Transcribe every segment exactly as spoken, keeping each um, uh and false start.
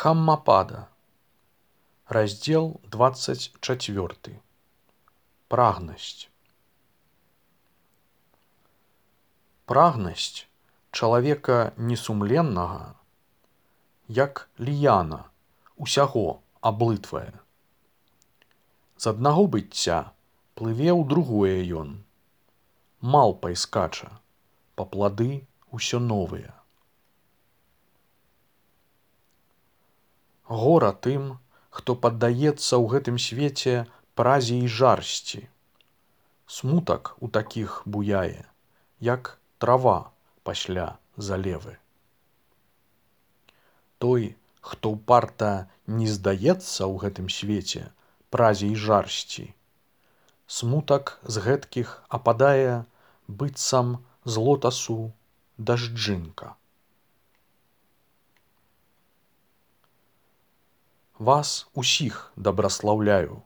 Дхаммапада. Раздел двадцать четвёрты. Прагнасць. Прагнасць чалавека несумленнага, як ліяна, усяго аблытвае. З аднаго быцця плыве ў другое ён, малпай скача, па плады ўсё новыя. Гора тым, хто паддаецца ў гэтым свеце празе і жарсці. Смутак у такіх буяе, як трава пасля залевы. Той, хто ўпарта не здаецца ў гэтым свеце празе і жарсці, смутак з гэткіх ападае быццам з лотасу дажджынка. Вас усіх дабраслаўляю,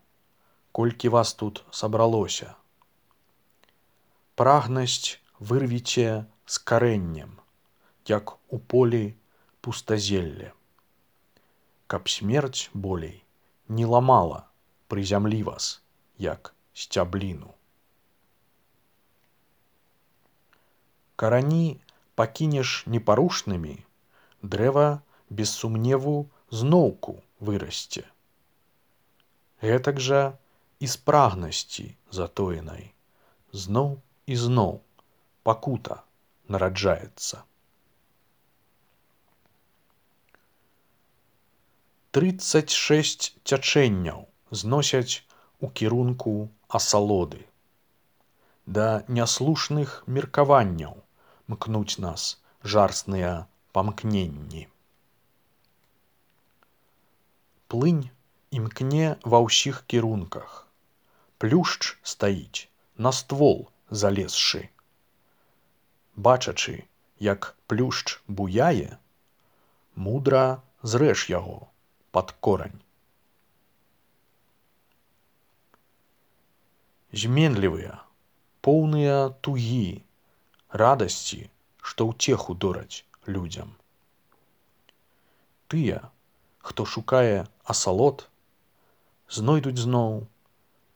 колькі вас тут сабралося. Прагнасць вырвіце з карэннем, як у полі пустазелле, каб смерць болей не ламала пры зямлі вас, як сцябліну. Карані пакінеш непарушнымі, дрэва без сумневу зноўку вырасце. Гэтак жа і з прагнасці затоенай зноў і зноў пакута нараджаецца. Трыццаць шэсць цячэнняў зносяць у кірунку асалоды. Да няслушных меркаванняў мкнуць нас жарсныя памкненні. Плынь імкне ва ўсіх кірунках. Плюшч стаіць, на ствол залезшы. Бачачы, як плюшч буяе, мудра зрэж яго пад корань. Зменлівыя, поўныя тугі, радасці, што ўцеху дораць людзям. Тыя, хто шукае асалод, знойдуць зноў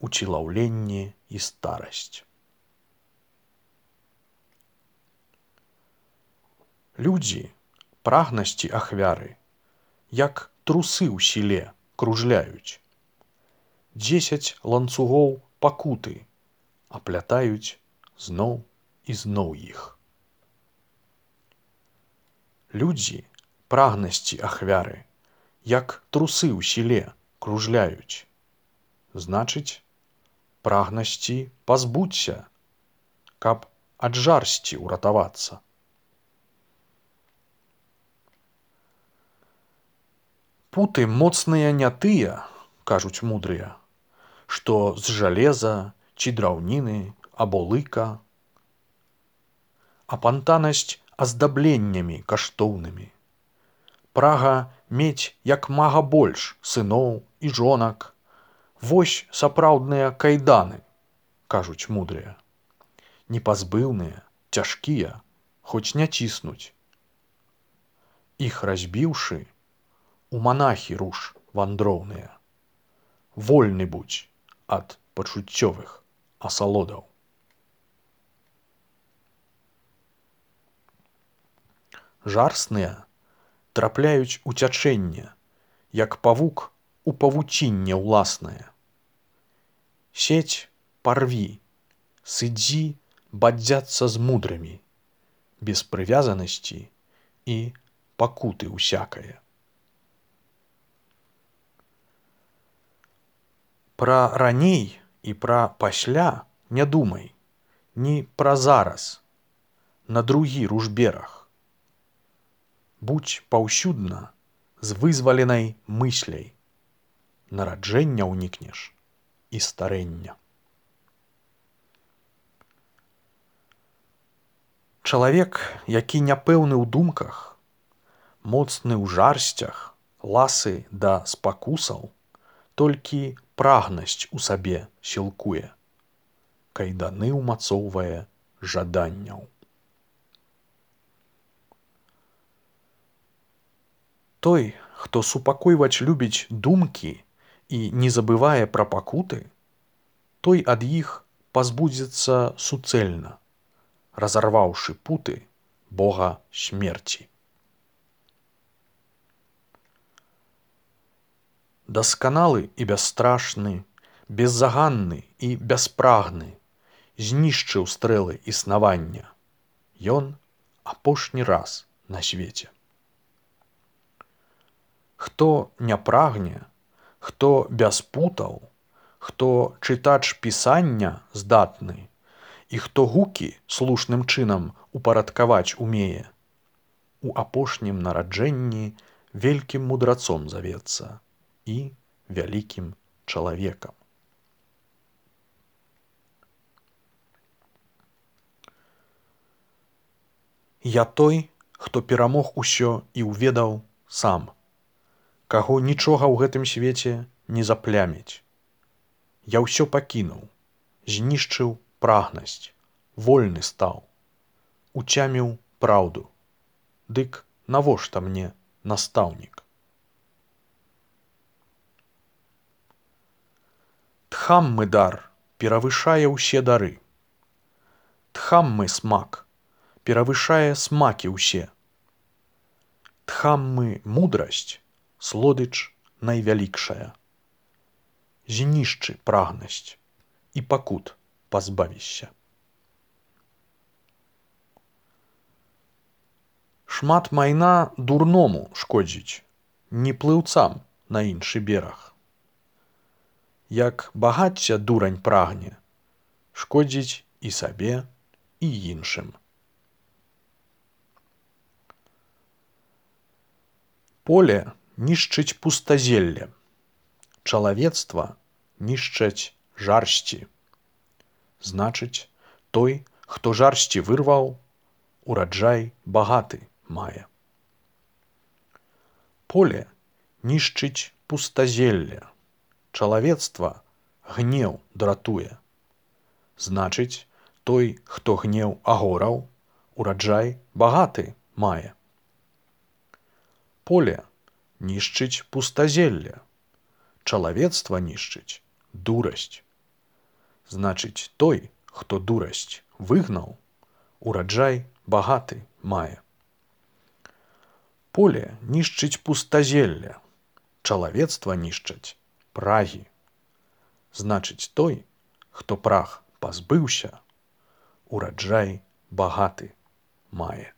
уцілаўленне і старасць. Людзі прагнасці ахвяры, як трусы ў сіле кружляюць. Дзесяць ланцугоў пакуты аплятаюць зноў і зноў іх. Людзі прагнасці ахвяры, як трусы ў сіле кружляюць. Значыць, прагнасці пазбуцься, каб ад жарсці ўратавацца. Путы моцныя не тыя, кажуць мудрыя, што з жалеза ці драўніны або лыка. Апантанасць аздабленнямі каштоўнымі. Прага мець як мага больш сыноў і жонак. Вось сапраўдныя кайданы, кажуць мудрыя. Непазбыўныя, цяжкія, хоць не ціснуць. Іх разбіўшы, у манахі руш вандроўныя. Вольны будзь ад пачуццёвых асалодаў. Жарсныя трапляюць у цячэнне, як павук у павуцінне ўласнае. Сеть парві, сыдзі бадзяцца з мудрымі, без прывязанасці і пакуты усякае. Пра раней і пра пасля не думай, ні пра зараз, на другі ружберах. Будзь паўсюдна з вызваленай мысляй, нараджэння ўнікнеш і старэння. Чалавек, які няпэўны ў думках, моцны ў жарсцях, ласы да спакусаў, толькі прагнасць у сабе сілкуе, кайданы ўмацоўвае жаданняў. Той, Хто супакойваць любіць думкі і не забывае пра пакуты, той ад іх пазбудзецца суцэльна, разарваўшы путы бога смерці. Дасканалы і бясстрашны, беззаганны і бяспрагны, знішчыў стрэлы існавання. Ён апошні раз на свеце. Хто не прагне, хто без путаў, хто чытач пісання здатны і хто гукі слушным чынам упарадкаваць умее, у апошнім нараджэнні вялікім мудрацом завецца і вялікім чалавекам. Я той, хто перамог усё і ўведаў сам, каго нічога ў гэтым свеце не запляміць. Я ўсё пакінуў, знішчыў прагнасць, вольны стаў, уцяміў праўду. Дык навошта мне настаўнік? Тхаммы дар перавышае ўсе дары. Тхаммы смак перавышае смакі ўсе. Тхаммы мудрасць слодыч найвялікшая. Знішчы прагнасць і пакут пазбавішся. Шмат майна дурному шкодзіць, не плыўцам на іншы бераг. Як багацця дурань прагне, шкодзіць і сабе, і іншым. Поле нішчыць пустазелле, чалавецтва нішчаць жарсці. Значыць, той, хто жарсці вырваў, ураджай багаты мае. Поле нішчыць пустазелле, чалавецтва гнеў дратуе. Значыць, той, хто гнеў агораў, ураджай багаты мае. Поле нішчыць пустазелле, чалавецтва нішчыць дурасць. Значыць, той, хто дурасць выгнаў, ураджай багаты мае. Поле нішчыць пустазелле, чалавецтва нішчаць прагі. Значыць, той, хто праг пазбыўся, ураджай багаты мае.